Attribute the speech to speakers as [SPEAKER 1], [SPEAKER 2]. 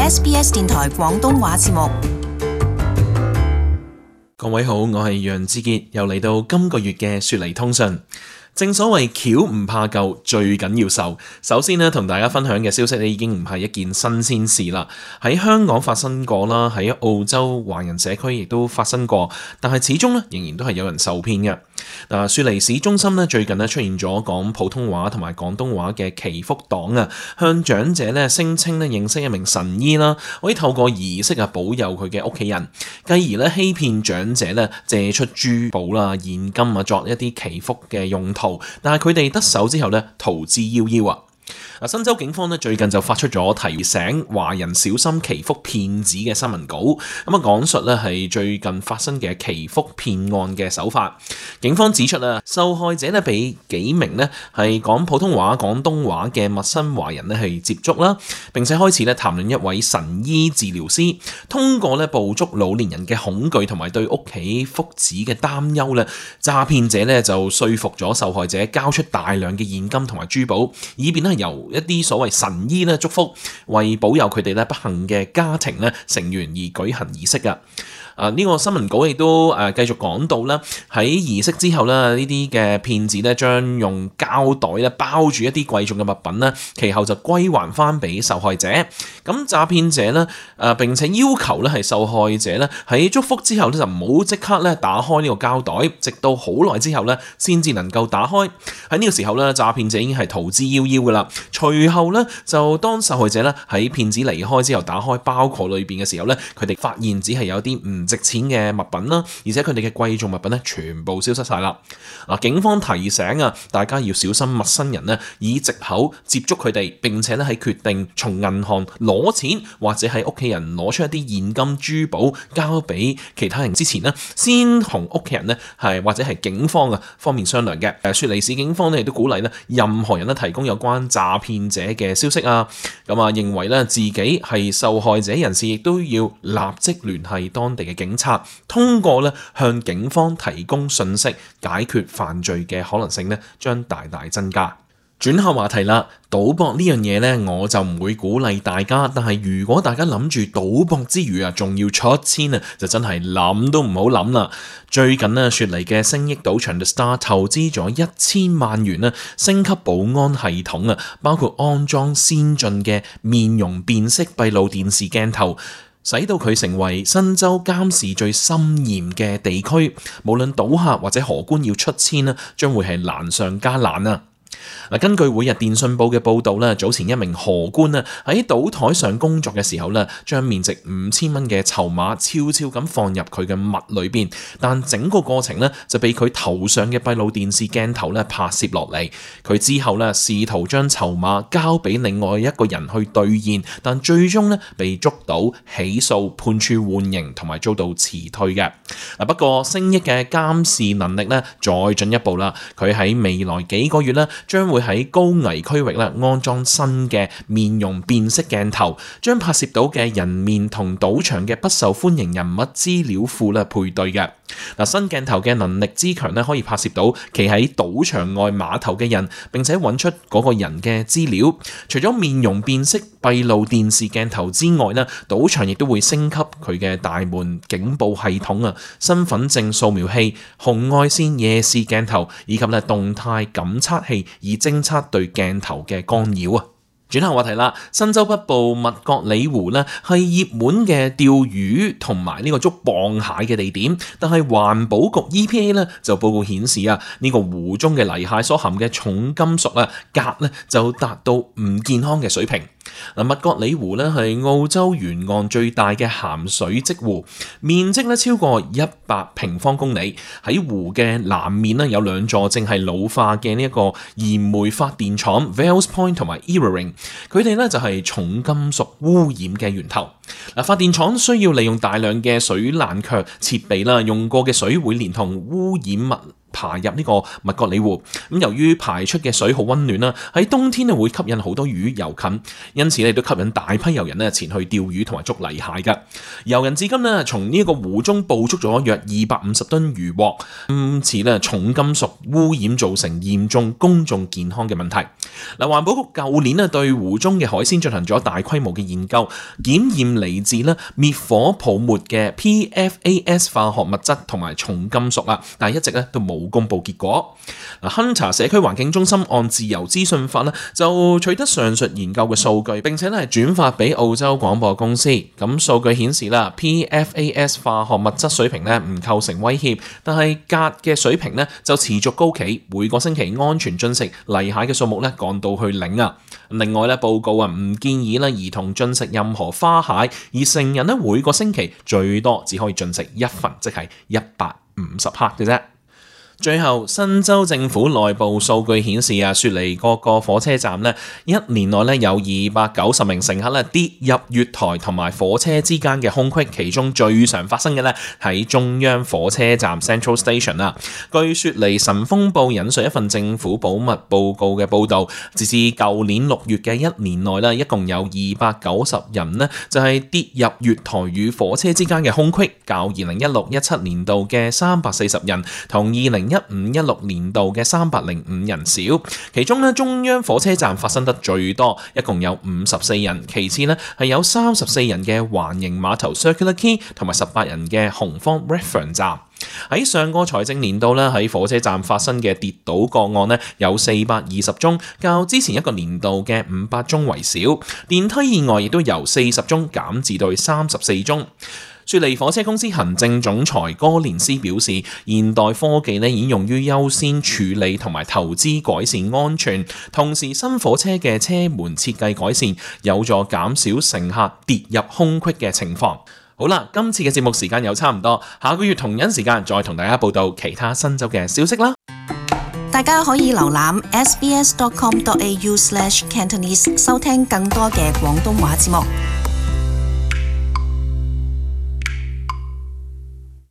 [SPEAKER 1] SBS 電台廣東話節目。
[SPEAKER 2] 各位好，我係楊志傑，又嚟到今個月嘅雪梨通訊。正所謂橋唔怕舊，最緊要受。首先呢，同大家分享嘅消息呢，已經唔係一件新鮮事啦。喺香港發生過啦，喺澳洲華人社區亦都發生過，但係始終呢，仍然都係有人受騙嘅。嗱，雪梨市中心呢，最近呢出現咗講普通話同埋廣東話嘅祈福黨啊，向長者呢聲稱呢認識一名神醫啦，可以透過儀式啊保佑佢嘅屋企人，繼而呢欺騙長者呢借出珠寶啦、現金啊作一啲祈福嘅用途。但係佢哋得手之後咧，逃之夭夭啊！新州警方咧最近就發出咗提醒華人小心祈福騙子嘅新聞稿，咁啊講述咧係最近發生嘅祈福騙案嘅手法。警方指出啊，受害者咧俾幾名咧係講普通話、廣東話嘅陌生華人咧係接觸啦，並且開始咧談論一位神醫治療師，通過咧捕捉老年人嘅恐懼同埋對屋企福祉嘅擔憂咧，詐騙者咧就說服咗受害者交出大量嘅現金同埋珠寶，以便咧由一啲所謂神醫咧祝福，為保佑佢哋咧不幸嘅家庭咧成員而舉行儀式噶。呢個新聞稿亦都繼續講到啦，喺儀式之後咧，呢啲嘅騙子咧將用膠袋咧包住一啲貴重嘅物品咧，其後就歸還翻俾受害者。咁詐騙者咧並且要求咧係受害者咧喺祝福之後咧就唔好即刻咧打開呢個膠袋，直到好耐之後咧先至能夠打開。喺呢個時候咧，詐騙者已經係逃之夭夭噶啦。隨後咧就當受害者咧喺騙子離開之後，打開包裹裏邊嘅時候咧，佢哋發現只係有啲唔值錢嘅物品啦，而且佢哋嘅貴重物品咧全部消失晒啦。警方提醒啊，大家要小心陌生人咧以藉口接觸佢哋，並且咧喺決定從銀行攞錢或者喺屋企人攞出一啲現金珠寶交俾其他人之前咧，先同屋企人咧係或者係警方啊方面商量嘅。雪梨市警方咧亦都鼓勵咧任何人咧提供有關詐騙者嘅消息啊，認為咧自己係受害者人士，亦都要立即聯繫當地嘅警察，通過咧向警方提供信息，解決犯罪嘅可能性咧將大大增加。轉下話題啦，賭博呢樣嘢呢，我就唔會鼓勵大家，但係如果大家諗住賭博之餘啊，仲要出千啊，就真係諗都唔好諗啦。最近呢，雪梨嘅星益賭場 The Star 投資咗1000萬元啦，升級保安系統啊，包括安裝先進嘅面容辨識閉路電視鏡頭，使到佢成為新州監視最森嚴嘅地區，無論賭客或者荷官要出千啦，將會係難上加難啊！根據每日電訊報嘅報導咧，早前一名荷官啊喺賭台上工作嘅時候咧，將面值5000蚊嘅籌碼悄悄咁放入佢嘅襪裏邊，但整個過程咧就被佢頭上嘅閉路電視鏡頭咧拍攝落嚟。佢之後咧試圖將籌碼交俾另外一個人去兌現，但最終咧被捉到、起訴、判處緩刑同埋遭到辭退嘅。不過星益嘅監視能力咧再進一步啦，佢喺未來幾個月咧將會喺高危區域咧安裝新嘅面容辨識鏡頭，將拍攝到嘅人面同賭場嘅不受歡迎人物資料庫咧配對嘅。新鏡頭嘅能力之強咧，可以拍攝到企喺賭場外碼頭嘅人，並且揾出嗰個人嘅資料。除咗面容辨識閉路電視鏡頭之外咧，賭場亦都會升級佢嘅大門警報系統啊、身份證掃描器、紅外線夜視鏡頭以及咧動態感測器，以偵測對鏡頭嘅干擾啊。轉下話題啦，新州北部麥角里湖咧係熱門嘅釣魚同埋呢個捉蚌蟹嘅地點，但係環保局 EPA 咧就報告顯示啊，呢個湖中嘅泥蟹所含嘅重金屬啊鎘咧就達到唔健康嘅水平。麥角里湖咧係澳洲沿岸最大嘅鹹水積湖，面積咧超過100平方公里。喺湖嘅南面咧有兩座正係老化嘅呢一個燃煤發電廠 Vales Point 同埋 Eraring， 佢哋咧就係重金屬污染嘅源頭。發電廠需要利用大量嘅水冷卻設備啦，用過嘅水會連同污染物排入呢個麥角里湖。咁由於排出嘅水好溫暖啦，喺冬天咧會吸引好多魚遊近，因此咧都吸引大批遊人咧前去釣魚同埋捉泥蟹㗎。遊人至今咧從呢一個湖中捕捉咗約250噸漁獲，因此咧重金屬污染造成嚴重公眾健康嘅問題。嗱，環保局舊年咧對湖中嘅海鮮進行咗大規模嘅研究，檢驗嚟自咧滅火泡沫嘅 PFAS 化學物質同埋重金屬啊，但係一直咧都冇公布結果。Hunter 社區環境中心按自由資訊法咧就取得上述研究嘅數據，並且咧係轉發俾澳洲廣播公司。咁數據顯示啦 ，PFAS 化學物質水平咧唔構成威脅，但係鎘嘅水平咧就持續高企，每個星期安全進食泥蟹嘅數目咧降到去0啊。另外咧報告唔建議咧兒童進食任何花蟹，而成人咧每個星期最多只可以進食1份，即係150克嘅啫。最後，新州政府內部數據顯示雪梨各個火車站一年內有290名乘客跌入月台同埋火車之間嘅空隙，其中最常發生嘅喺中央火車站 Central Station 啦。據雪梨晨鋒報引述一份政府保密報告嘅報導，截至舊年6月嘅一年內一共有290人就係跌入月台與火車之間嘅空隙，較2016-17年度嘅340人同2015-16年度嘅305人少，其中中央火車站發生得最多，一共有54人，其次係有34人嘅環形碼頭 Circular Quay 同埋18人嘅紅方 Redfern 站。喺上個財政年度喺火車站發生嘅跌倒個案有420宗，較之前一個年度嘅500宗為少。電梯意外亦都由40宗減至到34宗。雪梨火車公司行政總裁哥連斯表示，現代科技已經用於優先處理同埋投資改善安全，同時新火車嘅車門設計改善有助減少乘客跌入空隙嘅情況。好啦，今次嘅節目時間又差唔多，下個月同樣時間再同大家報道其他新州嘅消息啦。
[SPEAKER 1] 大家可以瀏覽 sbs.com.au/Cantonese 收聽更多嘅廣東話節目。